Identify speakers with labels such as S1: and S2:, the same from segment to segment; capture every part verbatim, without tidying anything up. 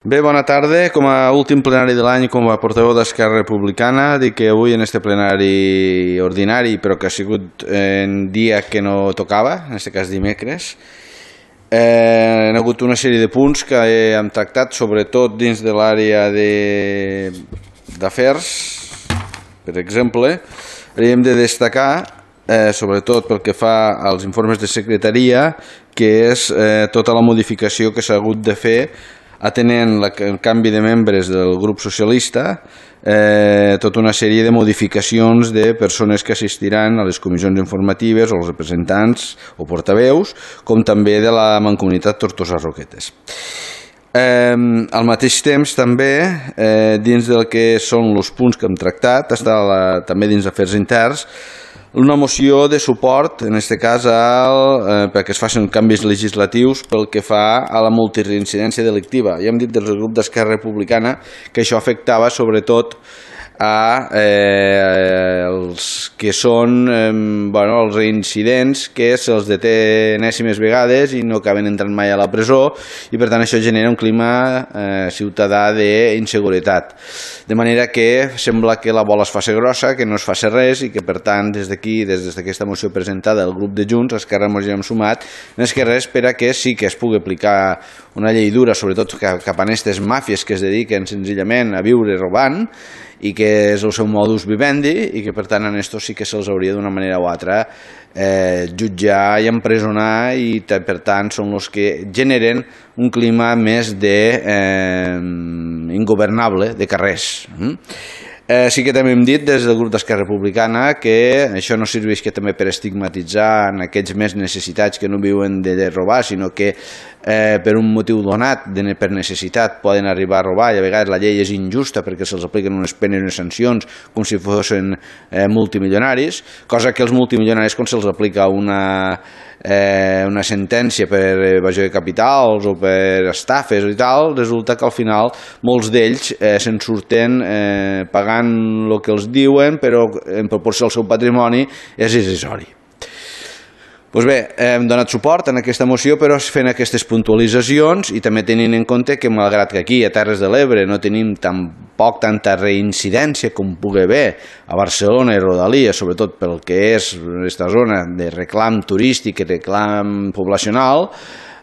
S1: Bé, bona tarda. Com a últim plenari de l'any, com a portaveu d'Esquerra Republicana, dic que avui en este plenari ordinari, però que ha sigut en dia que no tocava, en aquest cas dimecres, eh, hi ha hagut una sèrie de punts que hem tractat, sobretot dins de l'àrea d'afers. Per exemple, hem de destacar, eh, sobretot pel que fa als informes de secretaria, que és eh, tota la modificació que s'ha hagut de fer atenent el canvi de membres del grup socialista, eh, tota una sèrie de modificacions de persones que assistiran a les comissions informatives o els representants o portaveus, com també de la Mancomunitat Tortosa Roquetes. Eh, al mateix temps també, eh, dins del que són els punts que hem tractat, està la, també dins d'afers interns, una moció de suport, en aquest cas, al, eh, perquè es facin canvis legislatius pel que fa a la multireincidència delictiva. Ja hem dit des del grup d'Esquerra Republicana que això afectava sobretot a eh, els que són eh, bueno, els reincidents que se'ls deté enèsimes vegades i no acaben entrant mai a la presó, i per tant això genera un clima eh, ciutadà d'inseguretat, de manera que sembla que la bola es faci grossa, que no es faci res, i que per tant des d'aquí, des d'aquesta moció presentada del grup de Junts, Esquerra ens hi hem sumat, més que res per a que sí que es pugui aplicar una llei dura, sobretot cap a aquestes màfies que es dediquen senzillament a viure robant, i que és el seu modus vivendi, i que per tant en esto sí que se'ls hauria d'una manera o altra eh, jutjar i empresonar, i per tant són els que generen un clima més de eh, ingovernable de carrers. Eh, sí que també hem dit des del grup d'Esquerra Republicana que això no serveix que també per estigmatitzar en aquells més necessitats que no viuen de, de robar, sinó que eh, per un motiu donat, de, per necessitat, poden arribar a robar, i a vegades la llei és injusta perquè se'ls apliquen unes penes i unes sancions com si fossin eh, multimilionaris, cosa que els multimilionaris, quan se'ls aplica una Eh, una sentència per evasió de capitals o per estafes i tal, resulta que al final molts d'ells eh, se'n surten eh, pagant el que els diuen, però en proporció al seu patrimoni és irrisori. Doncs bé, hem donat suport en aquesta moció, però fent aquestes puntualitzacions i també tenint en compte que malgrat que aquí a Terres de l'Ebre no tenim tampoc tanta reincidència com pugui haver a Barcelona i Rodalia, sobretot pel que és aquesta zona de reclam turístic i reclam poblacional,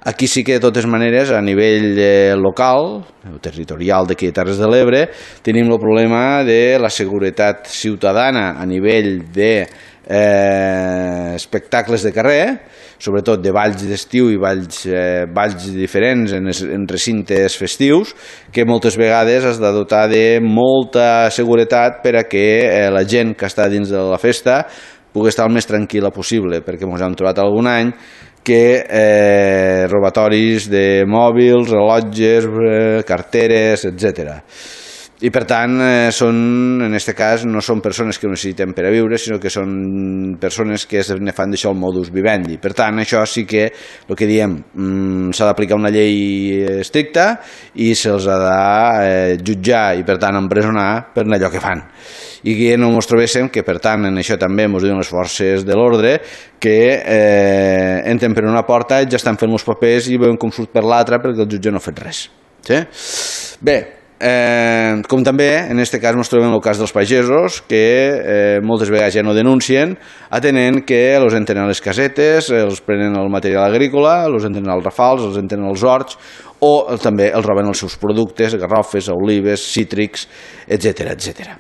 S1: aquí sí que de totes maneres a nivell eh, local o territorial d'aquí a Terres de l'Ebre tenim el problema de la seguretat ciutadana a nivell de Eh, espectacles de carrer, sobretot de balls d'estiu i balls, eh, balls diferents en, en recintes festius, que moltes vegades has de dotar de molta seguretat per a que eh, la gent que està dins de la festa pugui estar el més tranquil·la possible, perquè ens hem trobat algun any que eh, robatoris de mòbils, rellotges, eh, carteres, etcètera. I per tant, eh, són, en aquest cas, no són persones que ho necessiten per a viure, sinó que són persones que ne fan d'això el modus vivendi. Per tant, això sí que, el que diem, mm, s'ha d'aplicar una llei estricta i se'ls ha de eh, jutjar i, per tant, empresonar per allò que fan. I que no ens trobéssim que, per tant, en això també ens diuen les forces de l'ordre, que eh, entren per una porta i ja estan fent els papers i veuen com surt per l'altra perquè el jutge no ha fet res. Sí? Bé, Eh, com també en aquest cas ens trobem el cas dels pagesos que eh, moltes vegades ja no denuncien, atenent que els entren a les casetes, els prenen el material agrícola, els entren als rafals, els entren als horts, o també els roben els seus productes, garrofes, olives, cítrics, etcètera, etcètera.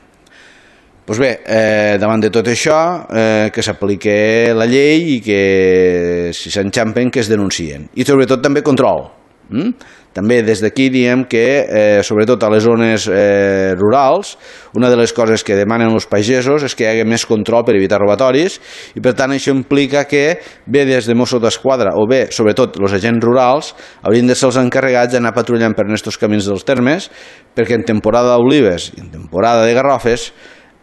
S1: Doncs bé, eh, davant de tot això, eh, que s'apliqui la llei i que si s'enxampen que es denuncien. I sobretot també control. Mm? També des d'aquí diem que, eh, sobretot a les zones eh, rurals, una de les coses que demanen els pagesos és que hi hagi més control per evitar robatoris, i per tant això implica que bé des de Mossos d'Esquadra o bé, sobretot, els agents rurals haurien de ser els encarregats d'anar patrullant per aquests camins dels termes, perquè en temporada d'olives i en temporada de garrofes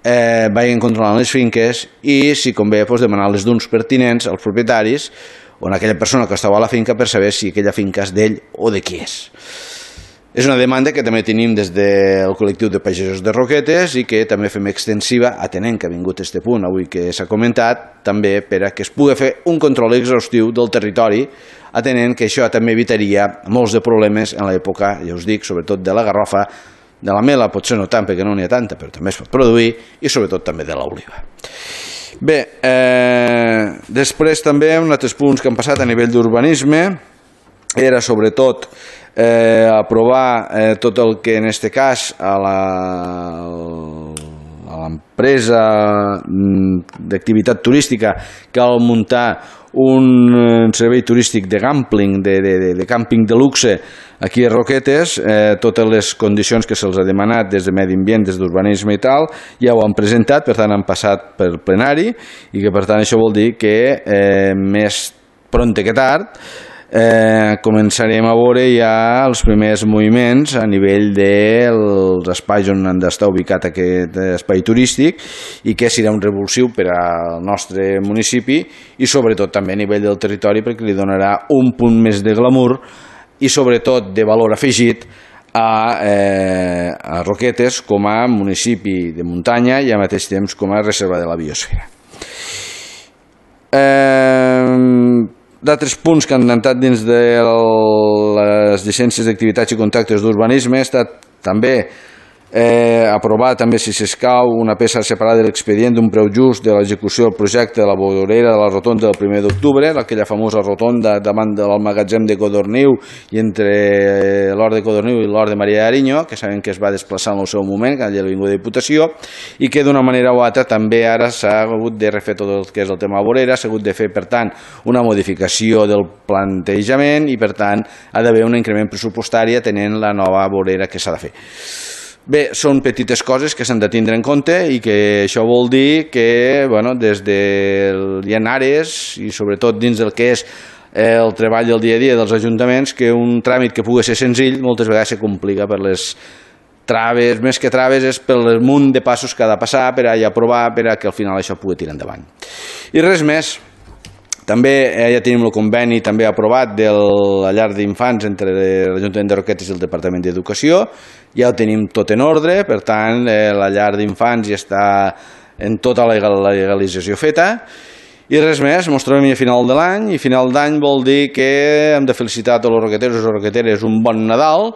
S1: eh, vagin controlant les finques i, si convé, doncs, demanar les duns pertinents als propietaris o a aquella persona que estava a la finca per saber si aquella finca és d'ell o de qui és. És una demanda que també tenim des del col·lectiu de pagesos de Roquetes i que també fem extensiva, atenent que ha vingut este punt avui que s'ha comentat, també per a que es pugui fer un control exhaustiu del territori atenent que això també evitaria molts de problemes en l'època, ja us dic, sobretot de la garrofa, de la mela potser no tant perquè no n'hi ha tanta, però també es pot produir, i sobretot també de l'oliva. Bé, eh, després també uns altres punts que han passat a nivell d'urbanisme era sobretot eh, aprovar eh, tot el que en este cas a la a l'empresa d'activitat turística cal muntar un servei turístic de gambling, de, de, de, de càmping de luxe aquí a Roquetes, eh, totes les condicions que se'ls ha demanat des de Medi Ambient, des d'urbanisme i tal, ja ho han presentat, per tant han passat per plenari i que per tant això vol dir que eh, més pronte que tard Eh, començarem a veure ja els primers moviments a nivell dels espais on han d'estar ubicat aquest espai turístic i que serà un revulsiu per al nostre municipi i sobretot també a nivell del territori perquè li donarà un punt més de glamour i sobretot de valor afegit a, eh, a Roquetes com a municipi de muntanya i al mateix temps com a reserva de la biosfera. Eh... D'altres punts que han entrat dins de les llicències d'activitats i contractes d'urbanisme ha estat també eh, aprovar també si s'escau una peça separada de l'expedient d'un preu just de l'execució del projecte de la vorera de la rotonda del primer d'octubre, aquella famosa rotonda davant del magatzem de Codorniu i entre l'Hort de Codorniu i l'Hort de Maria d'Ariño, que sabem que es va desplaçar en el seu moment, que allà vingut de Diputació, i que d'una manera o altra també ara s'ha hagut de refer tot el que és el tema vorera, s'ha hagut de fer, per tant, una modificació del plantejament i, per tant, ha d'haver un increment pressupostari atenent la nova vorera que s'ha de fer. Bé, són petites coses que s'han de tindre en compte i que això vol dir que bueno, des de hi ha àrees i sobretot dins del que és el treball del dia a dia dels ajuntaments que un tràmit que pugui ser senzill moltes vegades se complica per les traves, més que traves és pel munt de passos que ha de passar per a aprovar per a que al final això pugui tirar endavant. I res més. També eh, ja tenim el conveni també aprovat de la llar d'infants entre l'Ajuntament de Roquetes i el Departament d'Educació. Ja ho tenim tot en ordre, per tant, eh, la llar d'infants ja està en tota la legalització feta. I res més, ens trobem a final de l'any, i final d'any vol dir que hem de felicitar a tots els roqueteros i roqueteres un bon Nadal,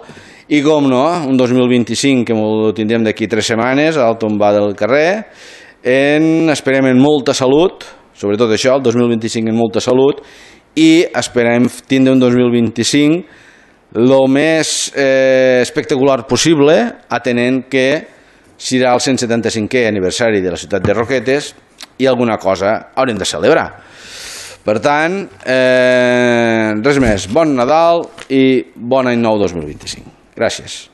S1: i com no, un dos mil vint-i-cinc que ho tindrem d'aquí tres setmanes al tombar del carrer, en, esperem en molta salut, sobretot això, el dos mil vint-i-cinc en molta salut, i esperem tindre un dos mil vint-i-cinc el més eh, espectacular possible, atenent que serà el cent setanta-cinquè aniversari de la ciutat de Roquetes i alguna cosa haurem de celebrar. Per tant, eh, res més, bon Nadal i bon any nou dos mil vint-i-cinc. Gràcies.